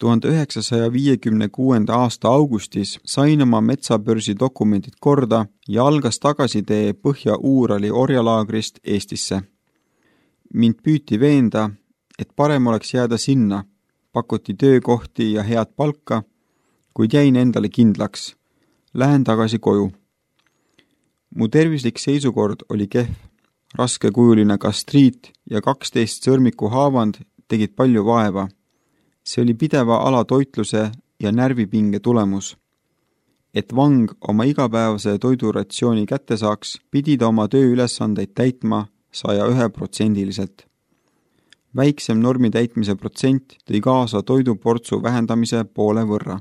1956. aasta augustis sain oma metsabörsi dokumendid korda ja algas tagasitee Põhja-Uurali orjalaagrist Eestisse. Mind püüti veenda, et parem oleks jääda sinna, pakuti töökohti ja head palka, kuid jäin endale kindlaks. Lähen tagasi koju. Mu tervislik seisukord oli kehv. Raskekujuline gastriit ja 12 sõrmiku haavand tegid palju vaeva. See oli pideva alatoitluse ja närvipinge tulemus. Et vang oma igapäevase toiduratsiooni kätte saaks, pidi ta oma tööülesandeid täitma 101%. Väiksem normi täitmise protsent tõi kaasa toiduportsu vähendamise poole võrra.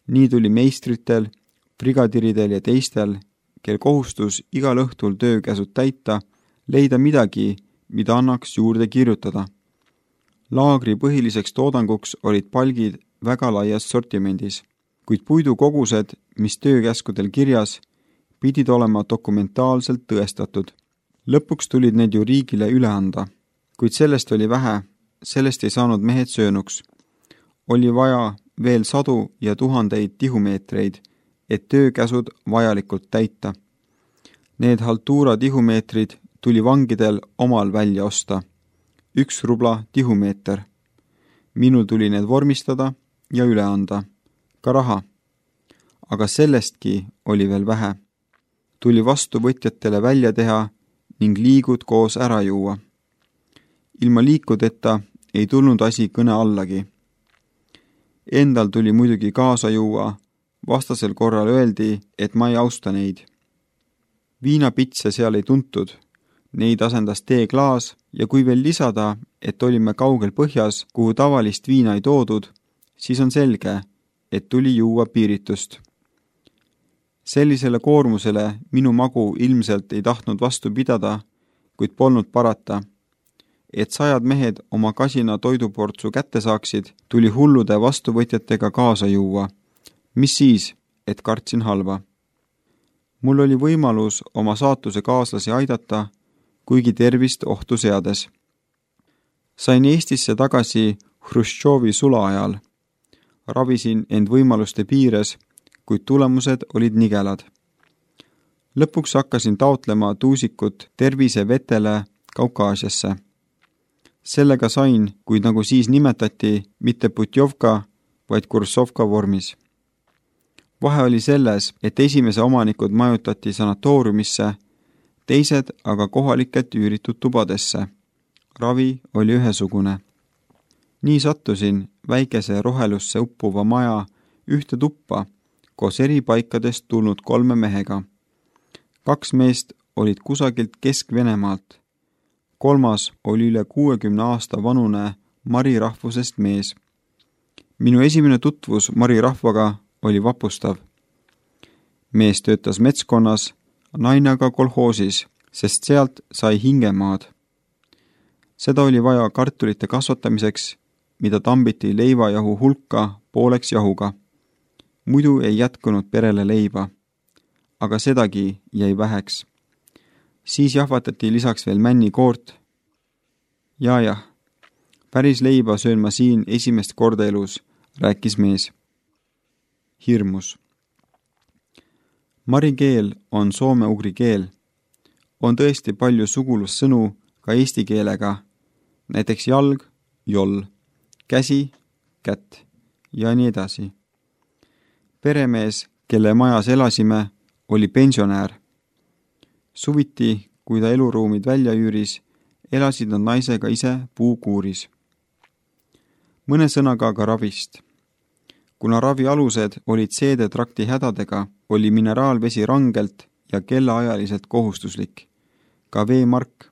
Nii tuli meistritel, brigadiridel ja teistel, kel kohustus igal õhtul töökäsud täita, leida midagi, mida annaks juurde kirjutada. Laagri põhiliseks toodanguks olid palgid väga laias sortimendis, kuid puidukogused, mis töökäskudel kirjas, pidid olema dokumentaalselt tõestatud. Lõpuks tulid need ju riigile üle anda, kuid sellest oli vähe, sellest ei saanud mehed söönuks. Oli vaja veel 100 ja 1000 tihumeetreid, et töökäsud vajalikult täita. Need haltuura tihumeetrid tuli vangidel omal välja osta. 1 rubla tihumeeter. Minul tuli need vormistada ja üle anda. Ka raha. Aga sellestki oli veel vähe. Tuli vastuvõtjatele välja teha ning liigud koos ära juua. Ilma liikudeta ei tulnud asi kõne allagi. Endal tuli muidugi kaasa juua, vastasel korral öeldi, et ma ei austa neid. Viinapitse seal ei tuntud, neid asendas teeklaas ja kui veel lisada, et olime kaugel põhjas, kuhu tavalist viina ei toodud, siis on selge, et tuli juua piiritust. Sellisele koormusele minu magu ilmselt ei tahtnud vastu pidada, kuid polnud parata. Et 100 mehed oma kasina toiduportsu kätte saaksid, tuli hullude vastuvõtjatega kaasa juua. Mis siis, et kartsin halva? Mul oli võimalus oma saatuse kaaslasi aidata, kuigi tervist ohtu seades. Sain Eestisse tagasi Hruštšovi sula ajal. Ravisin end võimaluste piires, kuid tulemused olid nigelad. Lõpuks hakkasin taotlema tuusikut tervisevetele Kaukaasiasse. Sellega sain, kuid nagu siis nimetati, mitte Putjovka, vaid Kursovka vormis. Vahe oli selles, et esimese omanikud majutati sanatooriumisse, teised aga kohalikelt üüritud tubadesse. Ravi oli ühesugune. Nii sattusin väikese rohelusse uppuva maja ühte tuppa koos eri paikadest tulnud 3 mehega. 2 meest olid kusagilt Kesk-Venemaalt. 3 oli üle 60 aasta vanune Mari rahvusest mees. Minu esimene tutvus Mari rahvaga oli vapustav. Mees töötas metskonnas, naine aga kolhoosis, sest sealt sai hingemaad. Seda oli vaja kartulite kasvatamiseks, mida tambiti leivajahu hulka pooleks jahuga. Muidu ei jätkunud perele leiba, aga sedagi jäi väheks. Siis jahvatati lisaks veel männikoort. Jah, päris leiba söön ma siin esimest korda elus, rääkis mees. Hirmus. Mari keel on soome-ugri keel. On tõesti palju sugulussõnu ka eesti keelega, näiteks jalg, joll, käsi, kätt ja nii edasi. Peremees, kelle majas elasime, oli pensionäär. Suviti, kui ta eluruumid välja üüris, elasid nad naisega ise puukuuris. Mõne sõnaga ka ravist. Kuna ravi alused olid seedetrakti hädadega, oli mineraalvesi rangelt ja kellaajaliselt kohustuslik. Ka veemark.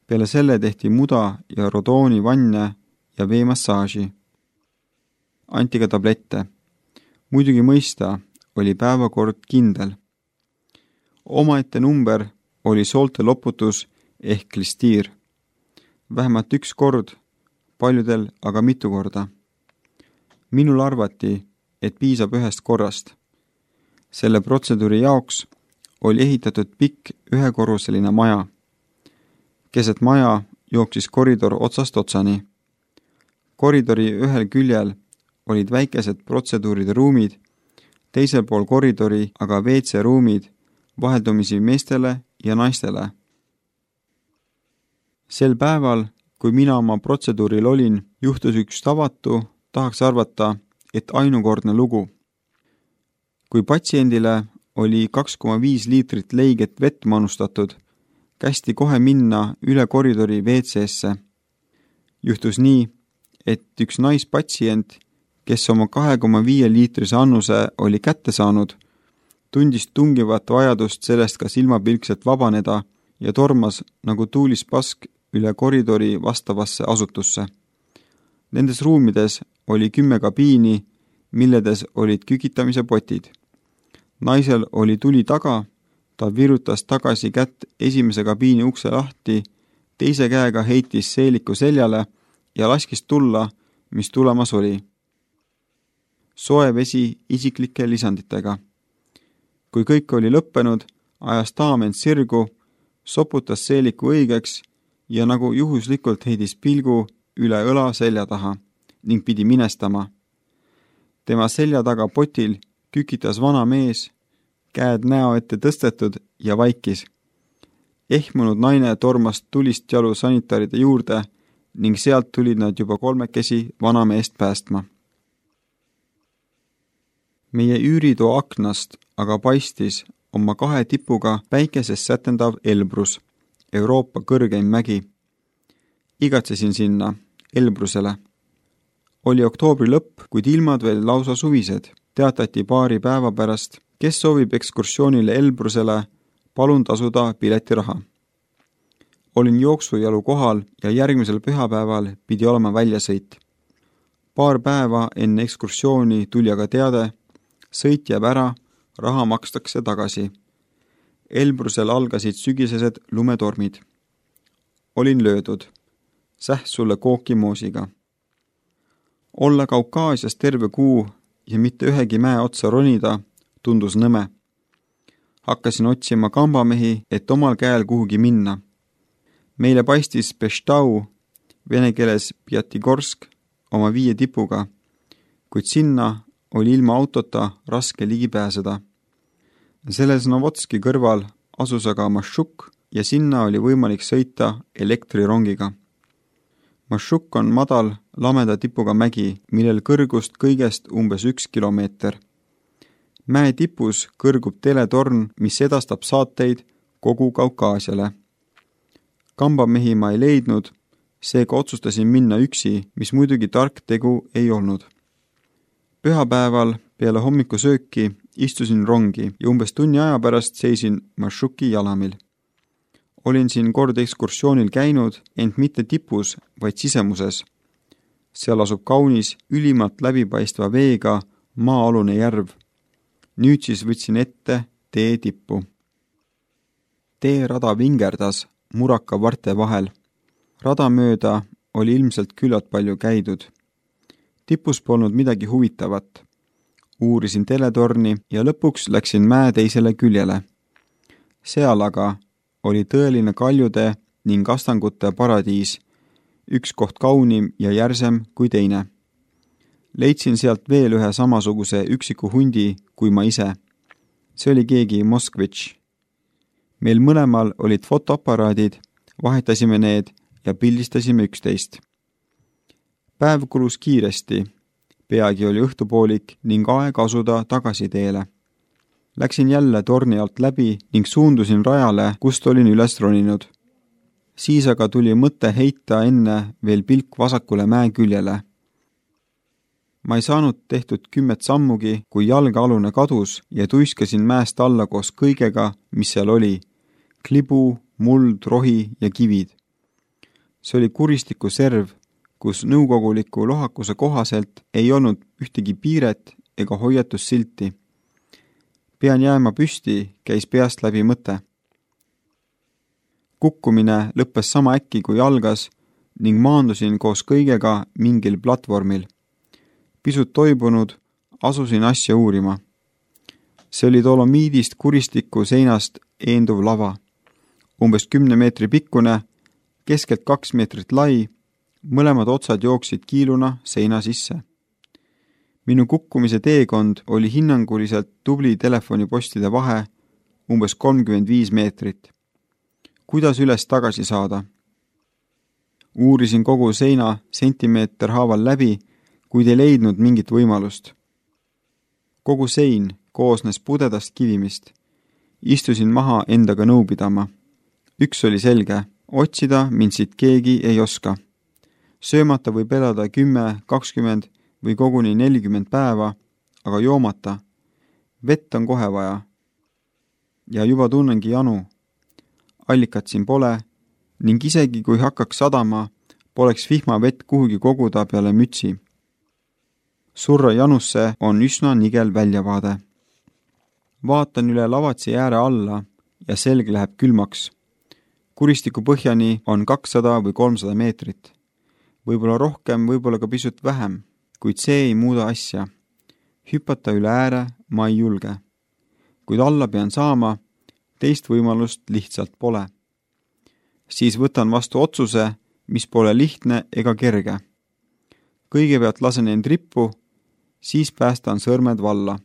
Peale selle tehti muda ja rodooni vanne ja veemassaaži. Anti ka tablette. Muidugi mõista oli päevakord kindel. Omaette number oli soolte loputus ehk klistiir. Vähemalt 1 kord, paljudel aga mitu korda. Minul arvati, et piisab 1 korrast. Selle protseduuri jaoks oli ehitatud pikk 1-korruseline maja. Keset maja jooksis koridor otsast otsani. Koridori ühel küljel olid väikesed protseduuride ruumid, teisel pool koridori aga WC-ruumid vaheldumisi meestele ja naistele. Sel päeval, kui mina oma protseduuril olin, juhtus üks tavatu, tahaks arvata, et ainukordne lugu. Kui patsiendile oli 2,5 liitrit leiget vett manustatud, kästi kohe minna üle koridori WC-sse. Juhtus nii, et üks naispatsient, kes oma 2,5 liitrise annuse oli kätte saanud, tundis tungivat vajadust sellest ka silmapilkselt vabaneda ja tormas nagu tuulispask üle koridori vastavasse asutusse. Nendes ruumides oli 10 kabiini, milledes olid kükitamise potid. Naisel oli tuli taga, ta virutas tagasi kätt esimese kabiini ukse lahti, teise käega heitis seeliku seljale ja laskis tulla, mis tulemas oli. Soe vesi isiklike lisanditega. Kui kõik oli lõppenud, ajas daam end sirgu, soputas seeliku õigeks ja nagu juhuslikult heidis pilgu üle õla selja taha ning pidi minestama. Tema selja taga potil kükitas vana mees, käed näo ette tõstetud ja vaikis. Ehmunud naine tormas tulist jalu sanitaride juurde ning sealt tulid nad juba 3 vana meest päästma. Meie üüritoa aknast aga paistis oma 2 tipuga päikeses sätendav Elbrus, Euroopa kõrgeim mägi. Igatsesin sinna, Elbrusele. Oli oktoobri lõpp, kuid ilmad veel lausa suvised. Teatati paari päeva pärast, kes soovib ekskursioonile Elbrusele, palun tasuda piletiraha. Olin jooksujalu kohal ja järgmisel pühapäeval pidi olema väljasõit. Paar päeva enne ekskursiooni tuli aga teade, sõit jääb ära, raha makstakse tagasi. Elbrusel algasid sügisesed lumetormid. Olin löödud. Säht sulle kookimoosiga. Olla Kaukaasias terve kuu ja mitte ühegi mäe otsa ronida tundus nõme. Hakkasin otsima kambamehi, et omal käel kuhugi minna. Meile paistis Pestau, vene keeles Pjatigorsk, oma 5 tipuga, kuid sinna oli ilma autota raske ligi pääseda. Selles Novotski kõrval asus aga Mašuk ja sinna oli võimalik sõita elektrirongiga. Mašuk on madal, lameda tipuga mägi, millel kõrgust kõigest umbes 1 kilomeeter. Mäe tipus kõrgub teletorn, mis edastab saateid kogu Kaukaasiale. Kambamehi ma ei leidnud, seega otsustasin minna üksi, mis muidugi tark tegu ei olnud. Pühapäeval peale hommikusööki istusin rongi ja umbes tunni aja pärast seisin Mašuki jalamil. Olin siin kord ekskursioonil käinud, ent mitte tipus, vaid sisemuses. Seal asub kaunis, ülimalt läbipaistva veega maa-alune järv. Nüüd siis võtsin ette tee tippu. Teerada vingerdas muraka varte vahel. Rada mööda oli ilmselt küllalt palju käidud. Tipus polnud midagi huvitavat. Uurisin teletorni ja lõpuks läksin mäe teisele küljele. Seal aga oli tõeline kaljude ning astangute paradiis, üks koht kaunim ja järsem kui teine. Leidsin sealt veel ühe samasuguse üksiku hundi kui ma ise. See oli keegi Moskvitš. Meil mõlemal olid fotoaparaadid, vahetasime need ja pildistasime üksteist. Päev kulus kiiresti, peagi oli õhtupoolik ning aeg asuda tagasi teele. Läksin jälle torni alt läbi ning suundusin rajale, kust olin üles roninud. Siis aga tuli mõte heita enne veel pilk vasakule mäe küljele. Ma ei saanud tehtud 10 sammugi, kui jalgealune kadus ja tuiskasin mäest alla koos kõigega, mis seal oli. Klibu, muld, rohi ja kivid. See oli kuristiku serv, kus nõukoguliku lohakuse kohaselt ei olnud ühtegi piiret ega hoiatussilti. Pean jääma püsti, käis peast läbi mõte. Kukkumine lõppes sama äkki kui algas ning maandusin koos kõigega mingil platvormil. Pisut toibunud, asusin asja uurima. See oli dolomiidist kuristiku seinast eenduv lava. Umbes 10 meetri pikkune, keskelt 2 meetrit lai, mõlemad otsad jooksid kiiluna seina sisse. Minu kukkumise teekond oli hinnanguliselt tubli telefonipostide vahe umbes 35 meetrit. Kuidas üles tagasi saada? Uurisin kogu seina sentimeeter haaval läbi, kuid ei leidnud mingit võimalust. Kogu sein koosnes pudedast kivimist. Istusin maha endaga nõu pidama. Üks oli selge, otsida mind siit keegi ei oska. Söömata võib elada 10, 20 või koguni 40 päeva, aga joomata. Vett on kohe vaja. Ja juba tunnengi janu. Allikat siin pole ning isegi kui hakkaks sadama, poleks vihmavett kuhugi koguda peale mütsi. Surra janusse on üsna nigel väljavaade. Vaatan üle lavatsi ääre alla ja selg läheb külmaks. Kuristiku põhjani on 200 või 300 meetrit. Võib-olla rohkem, võib-olla ka pisut vähem, kuid see ei muuda asja. Hüpata üle ääre ma ei julge. Kuid alla pean saama, teist võimalust lihtsalt pole. Siis võtan vastu otsuse, mis pole lihtne ega kerge. Kõigepealt lasen end rippu, siis päästan sõrmed valla.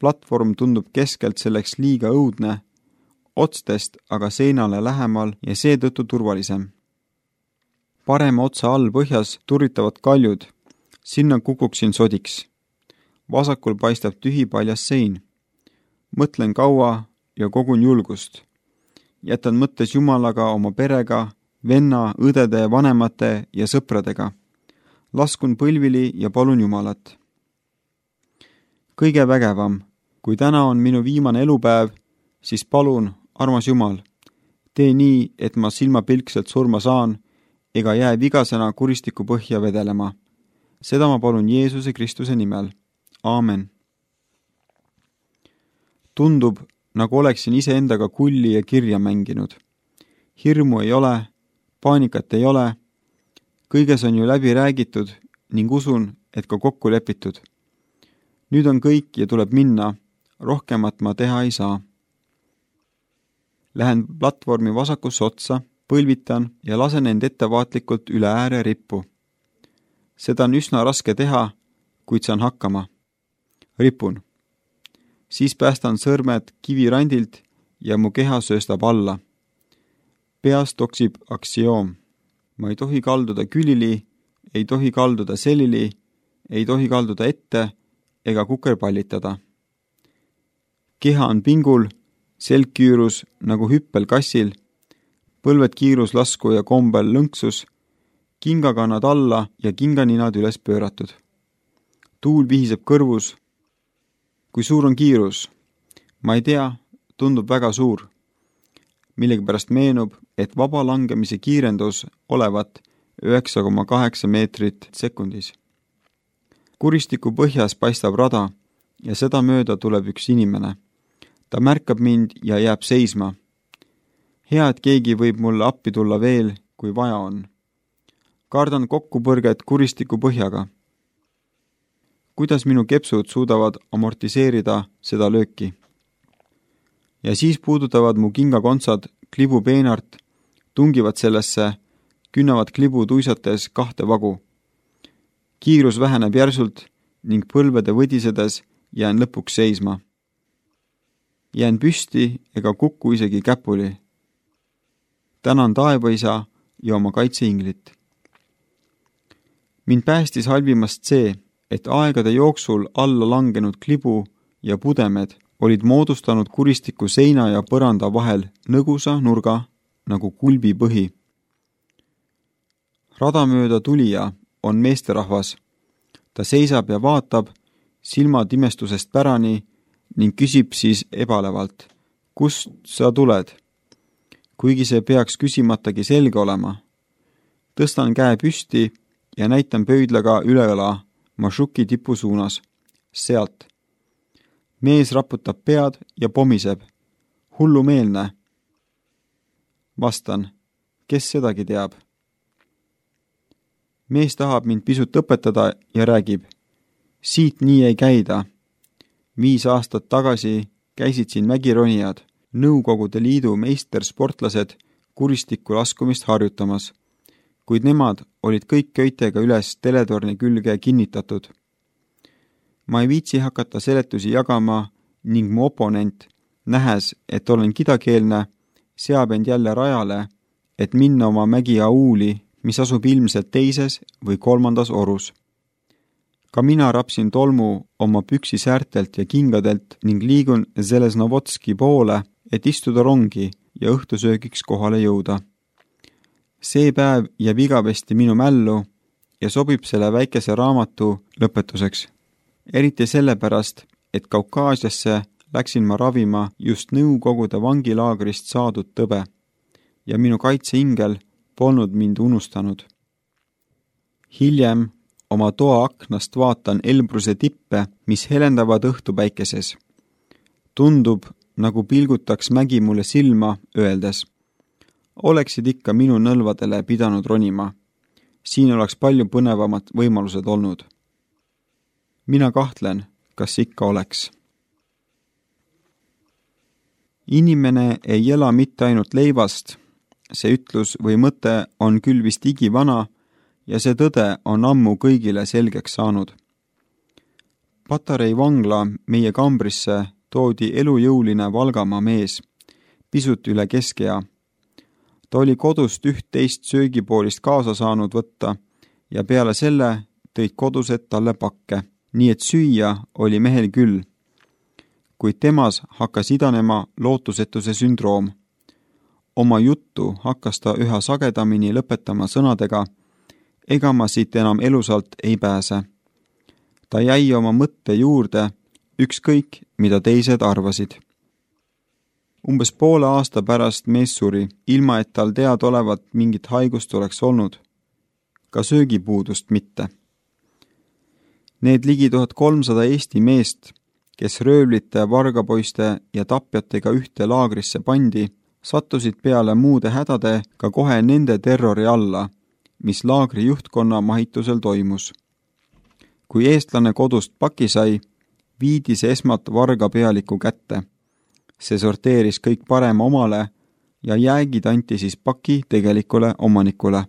Platvorm tundub keskelt selleks liiga õudne, otstest aga seinale lähemal ja seetõttu turvalisem. Parema otsa all põhjas turritavad kaljud, sinna kukuksin sodiks. Vasakul paistab tühi paljas sein. Mõtlen kaua ja kogun julgust. Jätan mõttes Jumalaga, oma perega, venna, õdede, vanemate ja sõpradega. Laskun põlvili ja palun Jumalat. Kõige vägevam, kui täna on minu viimane elupäev, siis palun, armas Jumal, tee nii, et ma silmapilkselt surma saan ega jää vigasena kuristiku põhja vedelema. Seda ma palun Jeesuse Kristuse nimel. Aamen. Tundub, nagu oleksin iseendaga kulli ja kirja mänginud. Hirmu ei ole, paanikat ei ole, kõiges on ju läbi räägitud ning usun, et ka kokku lepitud. Nüüd on kõik ja tuleb minna, rohkemat ma teha ei saa. Lähen platvormi vasakusse otsa, põlvitan ja lasen end ettevaatlikult üle ääre rippu. Seda on üsna raske teha, kuid saan hakkama. Ripun. Siis päästan sõrmed kivirandilt ja mu keha sööstab alla. Peas toksib aktsioom. Ma ei tohi kalduda külili, ei tohi kalduda selili, ei tohi kalduda ette ega kukerpallitada. Keha on pingul, selg küürus nagu hüppel kassil, põlved kiirus lasku ja kombel lõnksus, kingakannad alla ja kinganinad üles pööratud. Tuul vihiseb kõrvus. Kui suur on kiirus? Ma ei tea, tundub väga suur. Millegipärast meenub, et vaba langemise kiirendus olevat 9,8 meetrit sekundis. Kuristiku põhjas paistab rada ja seda mööda tuleb üks inimene. Ta märkab mind ja jääb seisma. Hea, et keegi võib mulle appi tulla veel, kui vaja on. Kardan kokkupõrget kuristiku põhjaga. Kuidas minu kepsud suudavad amortiseerida seda lööki? Ja siis puudutavad mu kingakontsad klibu peenart, tungivad sellesse, künnavad klibu tuisates 2 vagu. Kiirus väheneb järsult ning põlvede võdisedes jään lõpuks seisma. Jään püsti ega kukku isegi käpuli. Tänan taevaisa ja oma kaitseinglit. Mind päästis halvimast see, et aegade jooksul alla langenud klibu ja pudemed olid moodustanud kuristiku seina ja põranda vahel nõgusa nurga nagu kulbi põhi. Radamööda tulija on meesterahvas. Ta seisab ja vaatab silmad imestusest pärani ning küsib siis ebalevalt, kust sa tuled? Kuigi see peaks küsimatagi selge olema. Tõstan käe püsti ja näitan pöidlaga üleõla Mašuki tipu suunas. Sealt. Mees raputab pead ja pomiseb. Hullumeelne. Vastan, kes sedagi teab. Mees tahab mind pisut õpetada ja räägib. Siit nii ei käida. 5 aastat tagasi käisid siin mägironijad, Nõukogude Liidu meistersportlased kuristikku laskumist harjutamas. kuid nemad olid kõik köitega üles teletorni külge kinnitatud. Ma ei viitsi hakata seletusi jagama ning mu oponent, nähes, et olen kidakeelne, seab end jälle rajale, et minna oma mägi Auli, mis asub ilmselt teises või kolmandas orus. Ka mina rapsin tolmu oma püksisäärtelt ja kingadelt ning liigun Zeleznovodski poole, et istuda rongi ja õhtusöögiks kohale jõuda. See päev jääb igavesti minu mällu ja sobib selle väikese raamatu lõpetuseks. Eriti sellepärast, et Kaukaasiasse läksin ma ravima just Nõukogude vangilaagrist saadud tõbe ja minu kaitseingel polnud mind unustanud. Hiljem oma toa aknast vaatan Elbruse tippe, mis helendavad õhtupäikeses. Tundub, nagu pilgutaks mägi mulle silma, öeldes: oleksid ikka minu nõlvadele pidanud ronima. Siin oleks palju põnevamad võimalused olnud. Mina kahtlen, kas ikka oleks. Inimene ei ela mitte ainult leivast, see ütlus või mõte on küll vist igivana ja see tõde on ammu kõigile selgeks saanud. Patarei vangla meie kambrisse toodi elujõuline Valgamaa mees, pisut üle keskea. Ta oli kodust üht-teist söögipoolist kaasa saanud võtta ja peale selle tõid kodused talle pakke, nii et süüa oli mehel küll. Kuid temas hakkas idanema lootusetuse sündroom. Oma juttu hakkas ta üha sagedamini lõpetama sõnadega: ega ma siit enam elusalt ei pääse. Ta jäi oma mõtte juurde, ükskõik, mida teised arvasid. Umbes poole aasta pärast mees suri, ilma et tal teadaolevat mingit haigust oleks olnud. Ka söögipuudust mitte. Need ligi 1300 Eesti meest, kes röövlite, vargapoiste ja tapjatega ühte laagrisse pandi, sattusid peale muude hädade ka kohe nende terrori alla, mis laagri juhtkonna mahitusel toimus. Kui eestlane kodust paki sai, viidi see esmalt varga pealiku kätte. See sorteeris kõik parema omale ja jäägid anti siis paki tegelikule omanikule.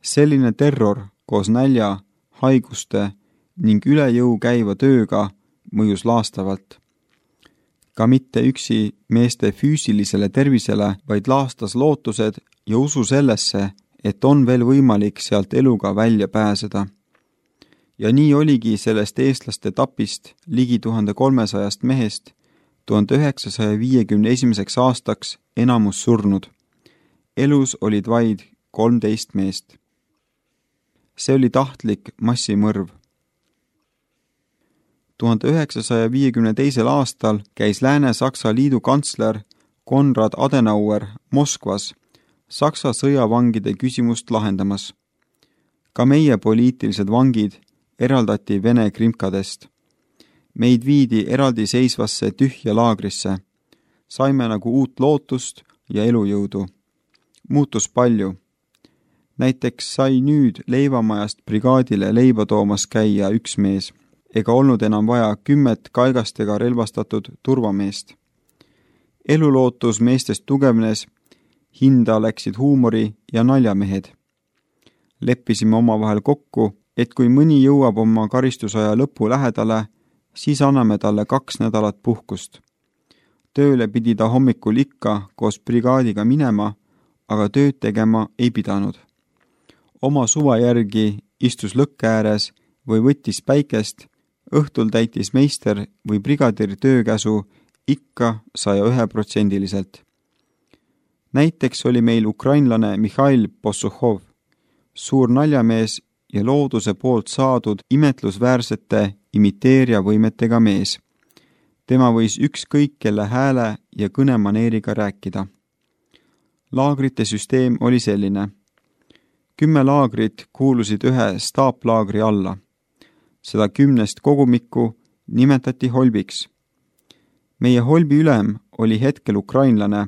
Selline terror koos nälja, haiguste ning üle jõu käiva tööga mõjus laastavalt. Ka mitte üksi meeste füüsilisele tervisele, vaid laastas lootused ja usu sellesse, et on veel võimalik sealt eluga välja pääseda. Ja nii oligi sellest eestlaste tapist ligi 1300 mehest 1951. aastaks enamus surnud. Elus olid vaid 13 meest. See oli tahtlik massimõrv. 1952. aastal käis Lääne-Saksa liidu kantsler Konrad Adenauer Moskvas Saksa sõjavangide küsimust lahendamas. Ka meie poliitilised vangid eraldati Vene krimkadest. Meid viidi eraldiseisvasse tühja laagrisse. Saime nagu uut lootust ja elujõudu. Muutus palju. Näiteks sai nüüd leivamajast brigaadile leiba toomas käia üks mees, ega olnud enam vaja 10 kaigastega relvastatud turvameest. Elulootus meestest tugevnes, hinda läksid huumori ja naljamehed. Leppisime omavahel kokku, et kui mõni jõuab oma karistusaja lõpu lähedale, siis anname talle 2 nädalat puhkust. Tööle pidi ta hommikul ikka koos brigaadiga minema, aga tööd tegema ei pidanud. Oma suva järgi istus lõkke ääres või võttis päikest, õhtul täitis meister või brigadir töökäsu ikka 101%. Näiteks oli meil ukrainlane Mihhail Possuhov, suur naljamees ja looduse poolt saadud imetlusväärsete imiteerija võimetega mees. Tema võis ükskõik kelle hääle ja kõnemaneeriga rääkida. Laagrite süsteem oli selline. 10 laagrit kuulusid ühe staaplaagri alla. Seda 10 kogumikku nimetati holbiks. Meie holbi ülem oli hetkel ukrainlane,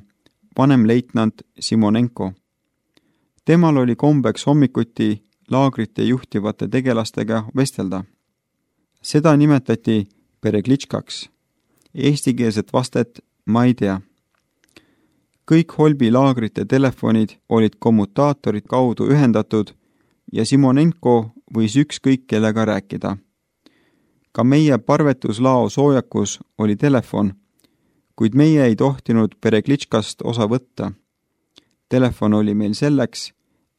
vanemleitnant Simonenko. Temal oli kombeks hommikuti laagrite juhtivate tegelastega vestelda. Seda nimetati pereglitškaks. Eestikeelset vastet ma ei tea. kõik Holbi laagrite telefonid olid kommutaatorid kaudu ühendatud ja Simonenko võis ükskõik kellega rääkida. Ka meie parvetuslao soojakus oli telefon, kuid meie ei tohtinud Pereglitškast osa võtta. Telefon oli meil selleks,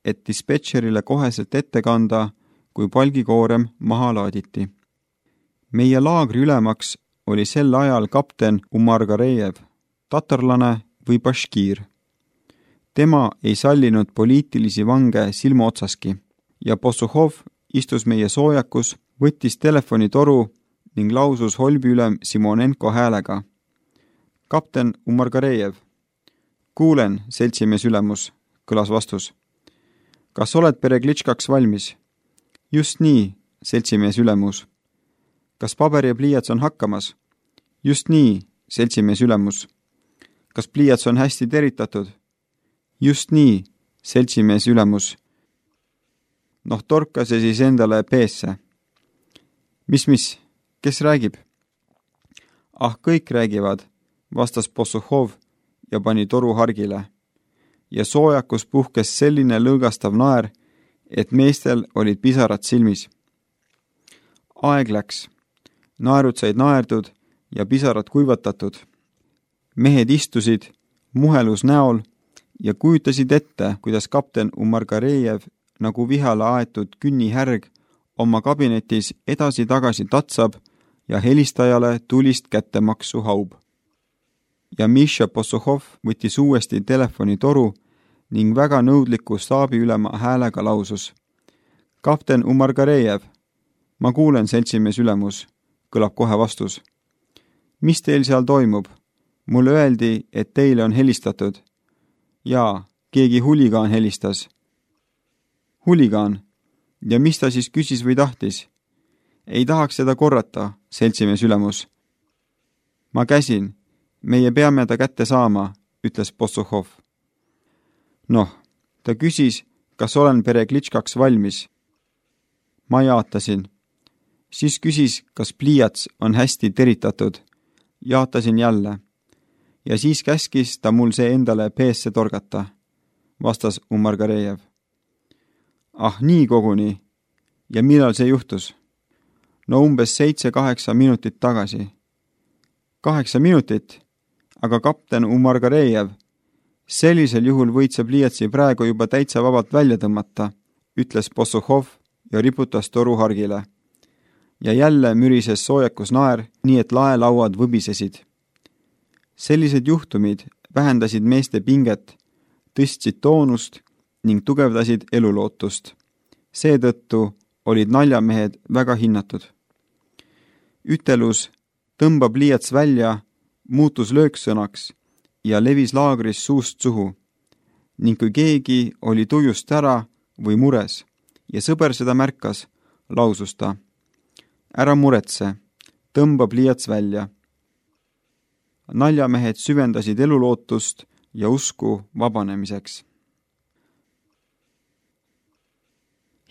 et dispetšerile koheselt ette kanda, kui palgikoorem maha laaditi. Meie laagri ülemaks oli sel ajal kapten Umargarejev, tatarlane või baškiir. Tema ei sallinud poliitilisi vange silmaotsaski ja Possuhov istus meie soojakus, võttis telefonitoru ning lausus Holbi ülem Simonenko häälega. Kapten Umargarejev. Kuulen, seltsimees ülemus, kõlas vastus. Kas oled Pereglitškaks valmis? Just nii, seltsimees ülemus. Kas paber ja pliiats on hakkamas? Just nii, seltsimees ülemus. Kas pliiats on hästi teritatud? Just nii, seltsimees ülemus. Noh, torka see siis endale peesse. Mis, kes räägib? Ah, kõik räägivad, vastas Possuhov ja pani toru hargile. Ja soojakus puhkes selline lõõgastav naer, et meestel olid pisarad silmis. Aeg läks. Naerud said naerdud ja pisarad kuivatatud. Mehed istusid, muhelus näol ja kujutasid ette, kuidas kapten Umargarejev nagu vihale aetud künnihärg oma kabinetis edasi-tagasi tatsab ja helistajale tulist kättemaksu haub. Ja Misha Possuhov võttis uuesti telefonitoru ning väga nõudliku staabiülema häälega lausus. Kapten Umargarejev, ma kuulen, seltsimees ülemus, kõlab kohe vastus. Mis teil seal toimub? Mulle öeldi, et teile on helistatud. Jaa, keegi huligaan helistas. Huligaan? Ja mis ta siis küsis või tahtis? Ei tahaks seda korrata, seltsimees ülemus. Ma käsin. Meie peame ta kätte saama, ütles Possuhov. Noh, ta küsis, kas olen Pereglitškaks valmis. Ma jaatasin. Siis küsis, kas pliiats on hästi teritatud. Jaatasin jälle. Ja siis käskis ta mul see endale peesse torgata, vastas Umargarejev. Ah, nii koguni. Ja millal see juhtus? No umbes 7-8 minutit tagasi. 8 minutit? Aga kapten Umargarejev, sellisel juhul võid sa pliiatsi praegu juba täitsa vabalt välja tõmmata, ütles Possuhov ja riputas toru hargile. Ja jälle mürises soojakus naer, nii et laelauad võbisesid. Sellised juhtumid vähendasid meeste pinget, tõstsid toonust ning tugevdasid elulootust. Seetõttu olid naljamehed väga hinnatud. Ütelus tõmba pliiats välja muutus lööksõnaks ja levis laagris suust suhu. Ning kui keegi oli tujust ära või mures ja sõber seda märkas, lausus ta. Ära muretse, tõmba pliiats välja. Naljamehed süvendasid elulootust ja usku vabanemiseks.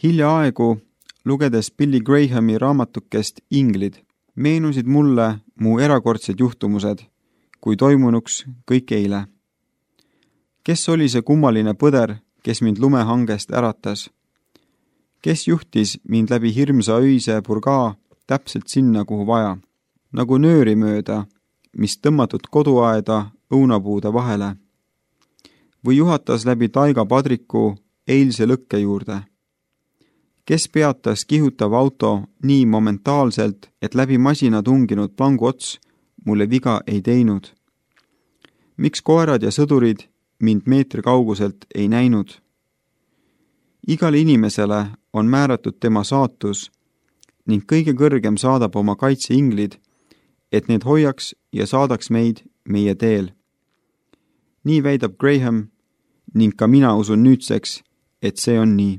Hiljaaegu, lugedes Billy Grahami raamatukest Inglid, meenusid mulle mu erakordsed juhtumused, kui toimunuks kõik eile. Kes oli see kummaline põder, kes mind lumehangest äratas? Kes juhtis mind läbi hirmsa öise purgaa täpselt sinna, kuhu vaja, nagu nööri mööda, mis tõmmatud koduaeda õunapuude vahele? Või juhatas läbi taigapadriku eilse lõkke juurde? Kes peatas kihutav auto nii momentaalselt, et läbi masina tunginud plangu ots mulle viga ei teinud? Miks koerad ja sõdurid mind meetri kauguselt ei näinud? Igale inimesele on määratud tema saatus ning kõige kõrgem saadab oma kaitseinglid, et need hoiaks ja saadaks meid meie teel. Nii väidab Graham ning ka mina usun nüüdseks, et see on nii.